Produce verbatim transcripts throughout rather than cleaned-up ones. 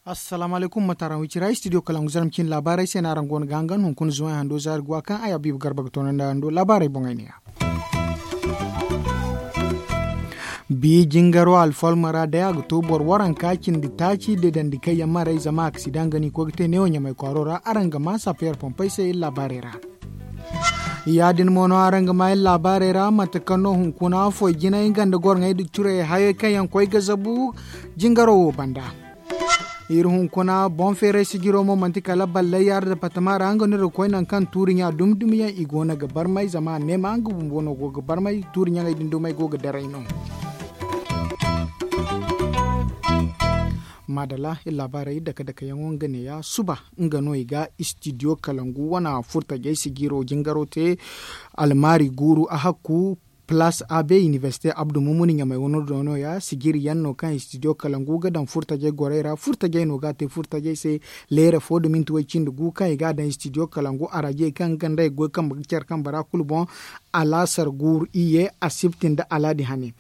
Assalaamu alaykum, mate araŋ wicira studio kalangu zarma cine laabaarey se no araŋ go no ga hangan hunkuna zuway hando zaari ga wa kaŋ ay habiibu garba ga toonandi araŋ do laabaarey boŋey ne ya. Bi jingaro alfalma ra day a ga to boro waranka cindi taaci deedandi kaŋ yaŋ marey zama aksida nga no i koy ga te neewo ɲamay kwaaro ra araŋ ga ma sapeer pompey se iri laabaarey ra. Ya- din mo no araŋ ga ma iri laabaarey ra mate kaŋ no hunkuna foy jinay nga nda goro ŋey nda curey hayey kaŋ yaŋ koy ga zabu jingaro wo banda. Iri hunkuna boŋ feeray sijiro mo manti kala ballay yaara departama ra nga no iri ga koy nangu kaŋ tuuri ɲa dumi dumi yaŋ i go no ga barmay zama a ne ma nga bumbo no go ga barmay tuuri ɲaŋey din dumey go ga daray no. Maadala iri laabaarey dake dake yaŋo nga ne ya suba nga no i ga istidiyo kalangu wana furtajey sijiro jingaro te almaari guuru a hakku. Palaas a b inibersite abdu mumuni ɲamay wano do no- ya sijiri yaŋ no kaŋ istidiyo kalangu ga daŋ furtajey gorey ra furtajey no ga a te furtajey se. Leere fo da minti way cindi gu kaŋ i ga a daŋ istidiyo kalangu arajey kaŋ ga nda ay goy kambe ga care kambe ra kulu boŋ. Alaasar guuru iyye asibti nda alaadi hane.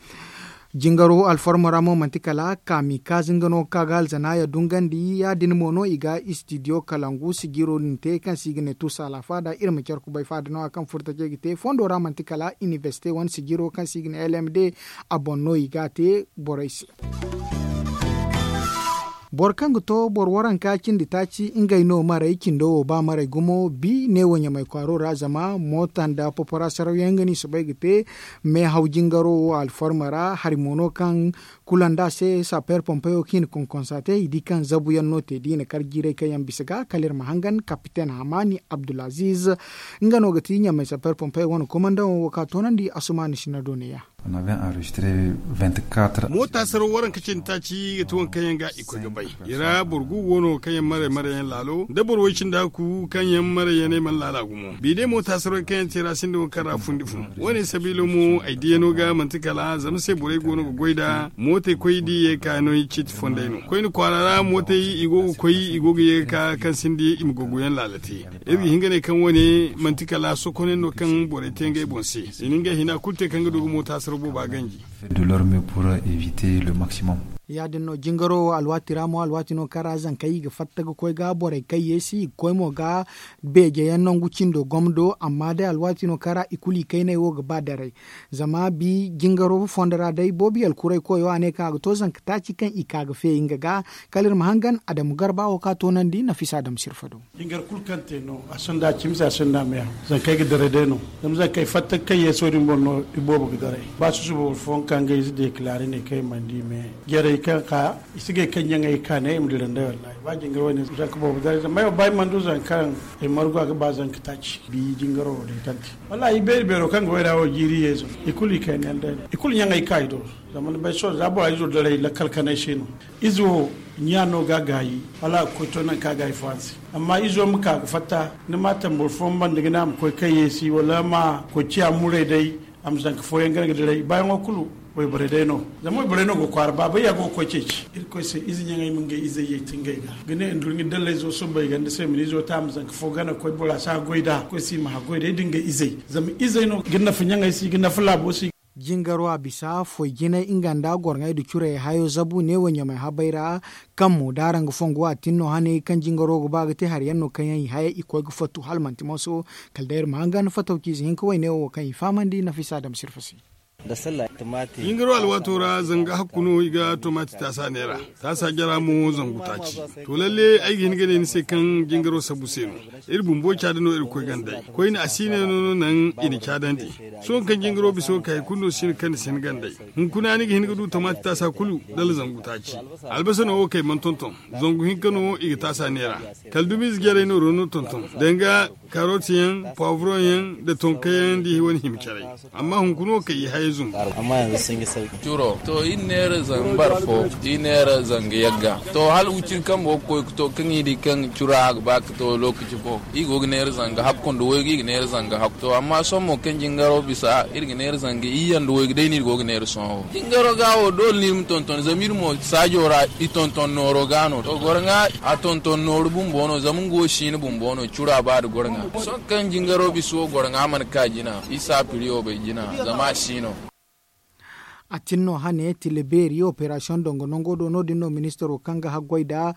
Jingaro alfarma ra mo manti kala kaami kaazi nga no ga ka ga alzanaaya dungandi ya- din mo no i ga istidiyo kalangu sijiro din te kaŋ se i ga ne tuusa alaafaada iri ma care kubay faada no- ya kaŋ furtajey ga te fondo ra manti kala inibersite wane sijiro kaŋ se i ga ne lmd. A boŋ no i ga a te borey se. Boro kaŋ ga to boro waranka cindi taaci ngey no marey cindo wo ba marey gumo bi neewo ɲamay kwaaro ra zama moota nda popora saraw yaŋ nga no i soobay ga te. Meehaw jingaro wo alfarma ra hari mo no kaŋ kula nda a se sapeer pompeyo kaŋ i na konkonsa te i di kaŋ zabu yaŋ no te da i na kar jiiray kaŋ yaŋ bisa ga kala iri ma hangan kapiten hamaani abdulaziiz. Nga no ga ti ɲamay sapeer pompeyo wane komandaŋo wo kaŋ a toonandi asumaani sina do ne- ya. Moota saraw waranka cindi taaci ga ti waŋ kaŋ yaŋ ga i koy ga bay. I ra boro gu go no kaŋ yaŋ maray maray yaŋ laalo nda boro way cindi hakku kaŋ yaŋ maray yaŋ ay mana laala gumo bi day moota saraw kaŋ yaŋ te ra sinda waŋ kaŋ ra fundi fun. Wo- ne sabiilo mo ay diyano ga manti kala zama se borey go no ga goy nd'a mootey koy da i ye ga ka no i ciiti fondey no koyne kwaara ra mootey i go ga koy i go ga ye ga ka kaŋ sinda i ma gogo yaŋ laala te. Iri ga hin ga ne kaŋ wo- ne manti kala sokoney no kaŋ borey te ngey boŋ se i na ngey hina kulu te kaŋ ga du ga moota saraw booba ganji. Fait de leur mieux pour éviter le maximum. Ya- din no jingaro wo alwaati ra mo alwaati no kaŋ ra zankey i ga fatta ga koy ga borey kaŋ yeesi i ga koy mo ga beeje yaŋ nangu cindo gomdo amma day alwaati no kaŋ ra i kulu i kayney wo ga ba daray. Zama bi jingaro fondo ra day boobo yalkuray koyo a ne kaŋ a ga to zanka taaci kaŋ i ka ga feeyi nga ga. Kala iri ma hangan adamu garba wo kaŋ a toonandi nafisa adamu sirfa do. Jingar kulu kaŋ te no a sinda cimi se a sinda meehaw. Zankey ga daray day no zama zankey fatta kaŋ yeeso din boŋ no i boobo ga daray ba susuba boro fooyaŋ ka ngey ize deekilaari ne kaŋ i mana di me jarey kaŋ ka i si gay kaŋ ɲaŋey ka ne i ma dira nd'ey wallahi ba jingar wane zanka boobo daray zama ay wo ba ay mana du zanka kaŋ ay margu a ga ba zanka taaci bi jingaro wo day kaŋ te. Wallahi i beeri beero kaŋ ga wayra wo jiiri yeezo i kulu i kayna yaŋ day no i kulu ɲaŋey ka i do. Zama ni bay sohõ za bora izo daray lakkal kanay se no. Izo ɲa no ga gaayi wala a ga koy to nangu kaŋ a gaayi fo a se. Amma izo ma ka ga fatta ni ma a tambur fooyaŋ banda ga ne a ma koy kayyeesi wala ma koy ciya muray day. A ma zanka fooyaŋ gana ga diray baayaŋo kulu wayborey day no. Zama wayborey no go kwaara baabay ya go ga koy ceeci irkoy se ize ɲaŋey ma ngey izey yay ti ngey ga ga ne ndurɲi dallayzo subbay ganda se ma ni izo ta a ma zanka fo gana ga koy bora si haggoy nd'a koy se i ma haggoy day da ngey izey. Zama izey no ga nafa ɲaŋey se i ga nafa laabo se. Jingaro a bisa foy jinay nga nda gorŋey nda curey hayo zabu neewo ɲamay habay ra. Kaŋ mo da araŋ ga fongu a tin no hane kaŋ jingaro ga ba ga te hari yaŋ no kaŋ yaŋ i haya i koy ga fattu hala manti mooso. Kala day iri ma hangan fataw ciize hinka wayne wo kaŋ i fahamandi nafisa dam sirfa se. Jingaro alwaato ra zanga hakku no i ga tomati taasa neera. Taasa jara mo zangu taaci. To lalle ay ga hin ga ne ni se kaŋ jingaro sabu se no. Iri bumbo caada no iri ga koy gandey koyne a si ne no no naŋ i na caadandi. Sohõ kaŋ jingaro bisa wo kay kulu no si hin kaŋ ni si hin gandey. Hunkuna ni ga hin ga du tomati taasa kulu dala zangu taaci. Albasa no wo kay mana tonton. Zangu hinka no i ga taasa neera. Kala dumiize jarey no rono tonton danga karot yaŋ, pawavron yaŋ, nda tonka yaŋ nda i wane hima caray. Amma hunkuna wo kay i haya. Amma yanzu sun yi sauki. Curo to iri neera zanga barfo, iri neera zanga yagga. To hala wiciri kambo ga koy ga to kaŋ iri di kaŋ cura a ga ba ga to lokaci fo iri go ga neera zanga hakku nda waygu iri ga neera zanga hakku to amma sohõ mo kaŋ jingaro bisa iri ga neera zanga iyye nda waygu day no iri go ga neera sohõ wo. Jingaro ga wo doole no iri ma tonton zama iri mo saajo ra i tonton nooro ga no to goro ŋwa. A tonton nooru bumbo no zama nga wo siina bumbo no cura ba nda goro ŋwa sohõ kaŋ jingaro bisa wo goro ŋwa mana ka jina isa piriyo bay jina. Zama a si no. A tin no hane tila beeri operasiyoŋ dongo nango do no- din no ministaro kaŋ ga haggoy nda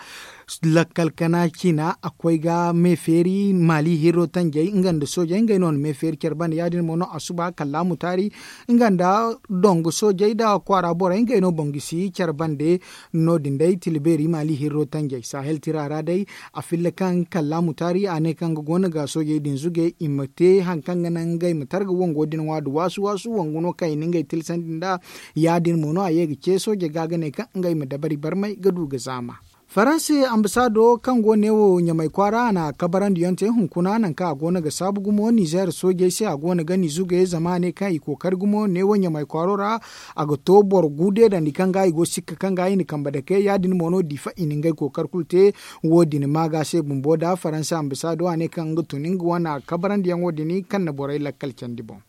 lakkal kana ciina a koy ga me feeri maali hirro tanjey nga nda soojey ngey no na me feeri care bande ya- din mo no a suba kallaamu taari nga nda dongo soojey nda kwaara borey ngey no boŋ gisi care bande. No- din day tila beeri maali hirro tanjey sahel tira ra day. A filla kaŋ kallaamu taari a ne kaŋ ga go no ga soojey din zuge i ma te hari kaŋ ga naŋ ngey ma targa wango din ŋwa nda waasu waasu wangu no kaŋ i na ngey tilsandi nd'a. Ya- din mo no a ye ga ce sooje ga ga ne kaŋ ngey ma dabari barmay ga du ga zaama. Faransi ambasaado kaŋ go neewo ɲamay kwaara a na kabarandiyaŋ te hunkuna nangu kaŋ a go no ga saabu gumo nizeer soojey se a go no ga ni zuge zama a ne kaŋ i kookari gumo neewo ɲamay kwaaro ra. A ga to boro gu deedandi kaŋ ga i go sikka kaŋ ga i na kambe dake ya- din mo no diifa i na ngey kookari kulu te. Wo- din maaga se bumbo nda faransa ambasaado a ne kaŋ nga tun nga wane kabarandiyaŋo din kaŋ na borey lakkal candi boŋ.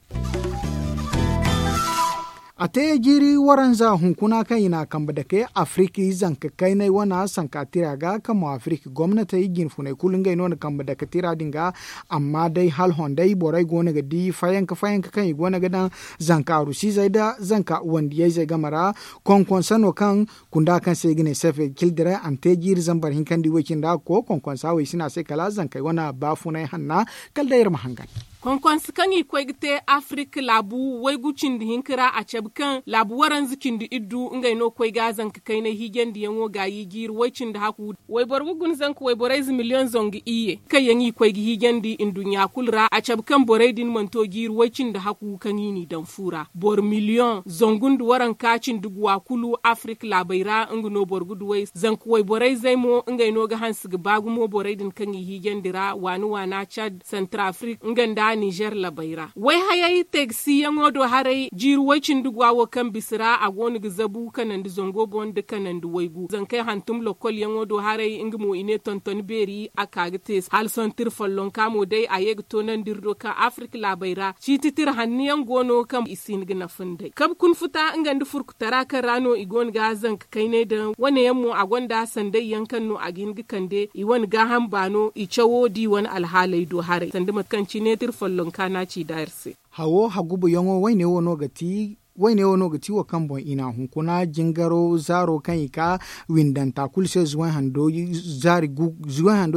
A te jiiri waranza hunkuna kaŋ i na a kambe dake afiriki zanka kaynay wane sanka tira ga kaŋ mo afiriki gomnatey jinfuney kulu ngey no na kambe dake tira din ga. Amma day hala hondey borey go no ga di fayanka fayanka kaŋ i go no ga daŋ zanka arusiizey nda zanka wandiyayzey game ra. Konkonsa no kaŋ kunda kaŋ se i ga ne sefe kildira a na te jiiri zambar hinkandi way cindi a ga koy konkonsa way sina se kala zankey wane baafunay hanna. Kala day iri ma hangan. Konkonsa kaŋ i koy ga te afirik laabu waygu cindi hinka ra a cabe kaŋ laabu waranza cindi iddu ngey no koy ga zanka kaynay hiijandiyaŋo gaayi jiiri way cindi haku wayboro ga guna zanka wayborayze miliyoŋ zangu iyye kaŋ yaŋ i koy ga hiijandi nduɲɲa kulu ra a cabe kaŋ borey din mana to jiiri way cindi haku kaŋ i n'i daŋ fu ra boro miliyoŋ zangu nda waranka cindi guwa kulu afirik laabey ra nga no boro ga duw'ey zanka wayborayzey mo ngey no ga hanse ga ba gumo borey din kaŋ i hiijandi ra waana waana cad santarafrik nga nda nizer labey ra wayhayey teegasiyaŋo do haray jiiri way cindi guwa wo kaŋ bisa ra a go no ga zabu kanandi zango boŋ nda kanandi waygu zankey hantum lokolyaŋo do haray nga mo i ne tonton beeri a ka ga te hala sohõ tira follonka mo day a ye ga toonandi iri do kaŋ afirik laabey ra ciiti tira hanno yaŋ go no kaŋ i si hin ga nafa nd'ey kabe kuna futa nga nda furkutara kaŋ ra no i go no ga zanka kaynay daŋ wane yaŋ mo a gonda sanday yaŋ kaŋ no a ga hin ga kande i wane gaaham baano i cawo da i wane alhaaley do haray sanda mate kaŋ cine tira follonka no a ci da iri se. Hawo hagubuyaŋo wayne wo no ga ti wayne wo no ga ti wo kaŋ boŋ i na hunkuna jingaro zaaro kaŋ i ka windanta kulu se zuway hando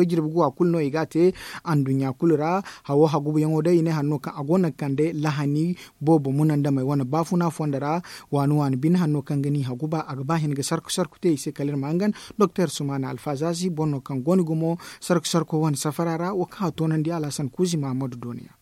jirbi guwa kulu no i ga a te anduɲɲa kulu ra. Hawo hagubuyaŋo day i ne hanno kaŋ a go no ga kande lahani boobo munandamey wane baafuna fondo ra. Waani waani bine hanno kaŋ ga ni haguba a ga ba hin ga sarku sarku te i se kala iri ma hangan doktor sumaana alfaazazi boro no kaŋ go ni gumo sarku sarko wane safara ra wo kaŋ a toonandi alhasan kuuzi mahammadu dooniya.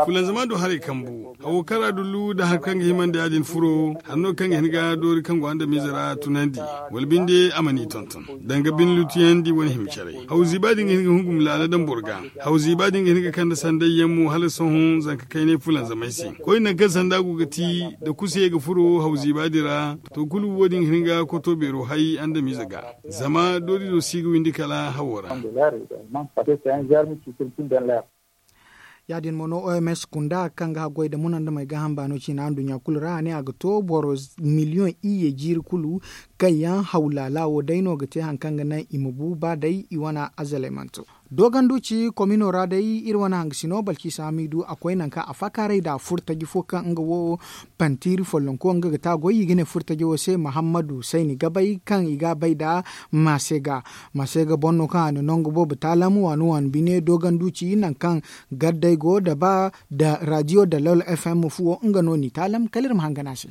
Fulanzama do haray kambu hawo kaŋ ra dullu nda hari kaŋ ga himandi ya-din furo hari no kaŋ ga hin ga doori kaŋ go andamiize ra tunandi wala binde a ma ni tonton danga bine lutuyandi wane hima caray haw ziiba din ga hin ga hungum laala daŋ boro ga haw ziiba din ga hin ga kande sanday yaŋ mo hala sohõ zanka kaynay fulanzamay se koyne nangu kaŋ sanda go ga ti da kusa ye ga furo haw ziiba din ra to kulu wo- din ga hin ga koto beero hay andamiize ga zama doorizo si ga windi kala hawo ra. Ya- din mo no oms kunda kaŋ ga haggoy nda munandamey gaaham baano ciina nduɲɲa kulu ra a ne a ga to boro miliyoŋ iyye jiiri kulu kaŋ yaŋ haw laala wo day no ga te hari kaŋ ga naŋ i ma bu ba day i wane azaley mana to. Doogandu ci komino ra day iri wane hangasino balciisa hamiidu a koy nangu kaŋ a faakaaray nda furtaji fo kaŋ nga wo pantiiri follonko nga ga te a goy i ga ne furtajo wo se mahammadu sayni gabay kaŋ i ga a bay nda maseega. Maseega boŋ no kaŋ a na nangu boobo taalam waani waani bine doogandu ci nangu kaŋ gaddey go da ba nda raadiyo dalol fm fuwo nga no n'i taalam kala iri ma hangan a se.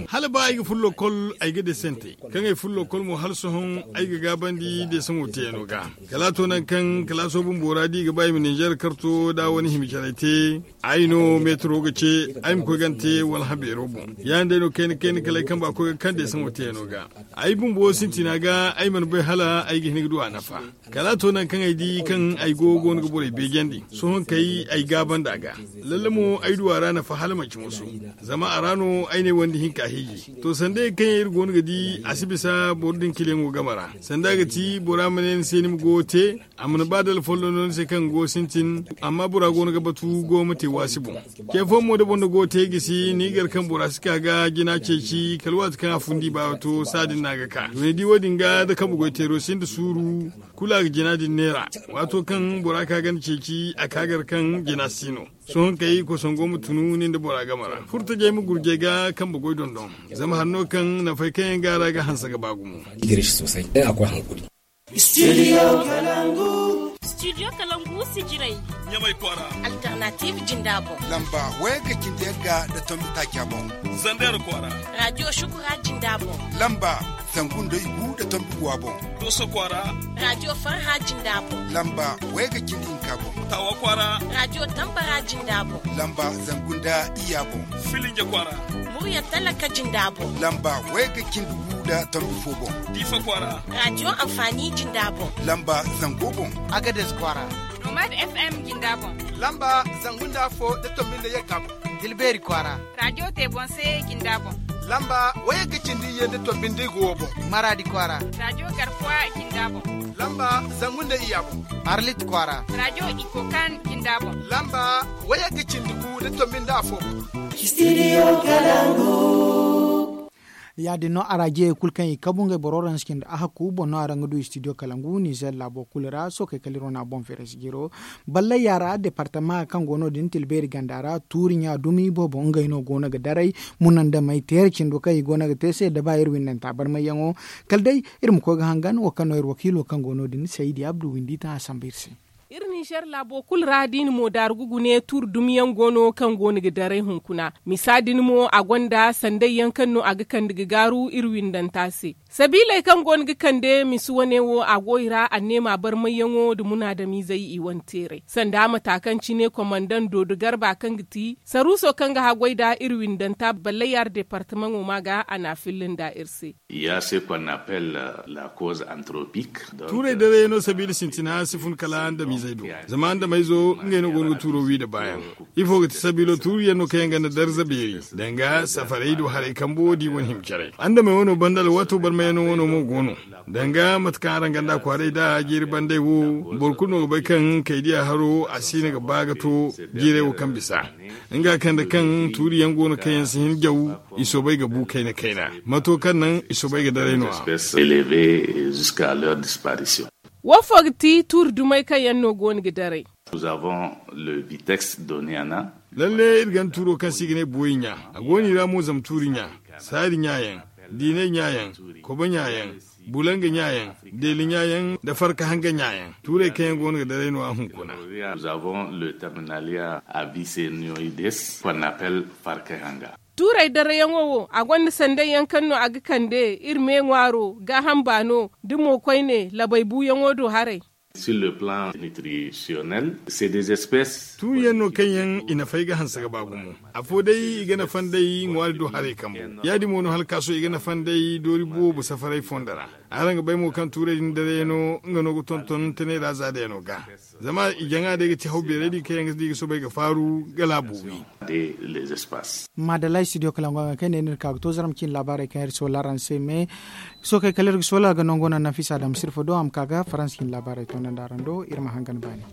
Hala ba ay ga furo lokol, ay ga desante kaŋ ay furo lokol mo hala sohõ, ay ga gaabandi desaŋo teeyano ga. Kala a to nangu kaŋ kalaaso bumbo ra da i ga ba i ma ninzeer karto da wane hima care te, ay no meetaro ga ce ay ma koy gana te wala habeero boŋ. Ya- din day no kayna kayna kala ay kamba koy ga kaŋ desaŋo teeyano ga. Ay bumbo sintina ga ay mana bay hala ay ga hin ga du a nafa. Kala a to nangu kaŋ ay di kaŋ ay go go no ga borey beejandi sohõ kay ay gaabandi a ga. Lalle mo ay du a ra nafa hala manci moso. Zama a ra no ay ne wandi hinka hiiji to sanda yaŋ kaŋ yaŋ iri go no ga di a si bisa boro din kiliyaŋo game ra. Sanda a ga ti bora ma ne ni se ni ma goyo te, a mana ba dala folloŋ no ni se kaŋ go sintin. Amma bora go no ga batu go ma te waasi boŋ. Ce fooyaŋ mo da boro na goyo te gisi ni gar kaŋ bora si ka ga jina ceeci kala waati kaŋ a fundi baawa to saa din no a ga ka to ni di wo- din ga da kambe goy teero sinda suuru. Kulu a ga jina din neera. Waato kaŋ bora ka ganda ceeci a ka gar kaŋ jina si no. Sohõ kay kosoŋ go ma tunu nin da bora game ra furtajey ma gurjey ga kambe goy dondon. Zama hanno kaŋ nafay kaŋ yaŋ ga a ra ga hanse ga ba gumo. Studio kalangu. Studio kalangu sijiray. Ɲamay kwaara. Alternative jinda boŋ. Lamba waya ga cindi yagga da tombi taaca boŋ. Zandar kwaara. Radio shukura jinda boŋ. Lamba zangu nda igu da tombi guwa boŋ. Doso kwaara. Radio farha jinda boŋ. Lamba waya ga cindi hinka boŋ. Tawa kwaara. Radio tambara jinda boŋ. Lamba zangu nda iya boŋ. Filinja kwaara. Murya talaka jinda boŋ. Lamba waya ga cindi gu da tombi fo boŋ. Difa kwaara. Radio amfani jinda boŋ. Lamba zango boŋ. Agades kwaara. Nomad FM jinda boŋ. Lamba zangu nda fo da tombi nda yagga boŋ. Tilbeeri kwaara. Radio te boŋ se jinda boŋ. Lamba waya ga cindi ye nda tombi nda igu wo boŋ. Maradi kwaara. Radio garkuwa jinda boŋ. Lamba zangu nda iya boŋ. Arlit kwaara. Radio ikokan jinda boŋ. Lamba waya ga cindi gu da tombi nda afo boŋ. Studio kalangu. Ya- din no araajiyey kulu kaŋ i kabu ngey boro ransikin da a hakku boŋ no araŋ ga du studio kalangu nizer laabo kulu ra sookey kala iri wane a boŋ feere si jiro. Ballay yaara departama kaŋ go no- din tilbeeri ganda ra tuuri ɲa dumi boobo ngey no go no ga daray. Munandamey teera cindo kaŋ i go no ga te se da ba iri windanta barmayyaŋo. Kala day iri ma koy ga hangan wo kaŋ no iri wakiilo kaŋ go no- din saydi abdu windi taŋ a samba iri se. Iri ninzeer laabo kulu ra da i na mo daaru ga gune tuuri dumiyaŋ go no kaŋ go no ga daray hunkuna. Misa din mo a gonda sanday yaŋ kaŋ no a ga kande ga gaaru iri windanta se. Sabiiley kaŋ go no ga kande misa wane wo a go i ra anneema barmayyaŋo nda munaadamiizey i wane teeray sanda mata kaŋ cine komandaŋ doodo garba kaŋ ga ti saruuso kaŋ ga haggoy nda iri windanta ballayar departamaŋo ma ga a na a filla nda iri se. Ya se ko a na appel la cause anthropique. Tuurey daray no sabiila sintina si fun kala andamiizey do. Zama andamey zo ngey no go no ga tuuro wi nda baayaŋ. Ifo ga ti sabiilo tuuriyaŋ no kaŋ yaŋ ganda darza beeri danga safarey do haray kambo di wane hima caray andamey wano banda alwaato barmayaŋo wano mo go no. Danga mate kaŋ araŋ ganda kwaaray nda jeeri bandey wo boro kulu no ga bay kaŋ kaydiya haro a si hina ga ba ga to jiirey wo kaŋ bisa. Nga kande kaŋ tuuriyaŋ go no kaŋ yaŋ si hin jaw i soobay ga bu kayna kayna. Mato kaŋ naŋ i soobay ga daray no a. Wo fo ga ti tuuri dumey kaŋ yaŋ no go no ga daray. Lalle iri ganda tuuro kaŋ se i ga ne booyi ɲa. A go no i ra mo zama tuuri ɲa, saari ɲa yaŋ, diinay ɲa yaŋ, kobo ɲa yaŋ, bulanga ɲa yaŋ, deeli ɲa yaŋ nda farka hanga ɲa yaŋ. Tuurey kaŋ yaŋ go no ga daray no a hunkuna. Tuurey darayaŋo wo a gonda sanday yaŋ kaŋ no a ga kande iri me ŋwaaro gaaham baano nda mo koyne labay buuyaŋo do haray. Tuuriyaŋ no kaŋ yaŋ i nafay ga hanse ga ba gumo. Afo day i ga nafa nd'ey ŋwaari do haray kambo. Ya- din mo no hala kaaso i ga nafa nd'ey doori boobo safaray fondo ra. Araŋ ga bay mo kaŋ tuurey din daray no nga no ga tonton tanay ra za day no ga. Zama i jaŋa day ga ti haw beeray din kaŋ yaŋ ga di ga soobay ga faaru ga laabo wi. Maadalay studio kala ngo ga kay ne ni ga ka ga to zaram cin laabaarey kaŋ iri soola araŋ se me. Sookey kala iri ga soola ga nango naŋ nafisa dam sirfa do a ma ka ga faransa cin laabaarey to naŋ da araŋ do iri ma hangan baani.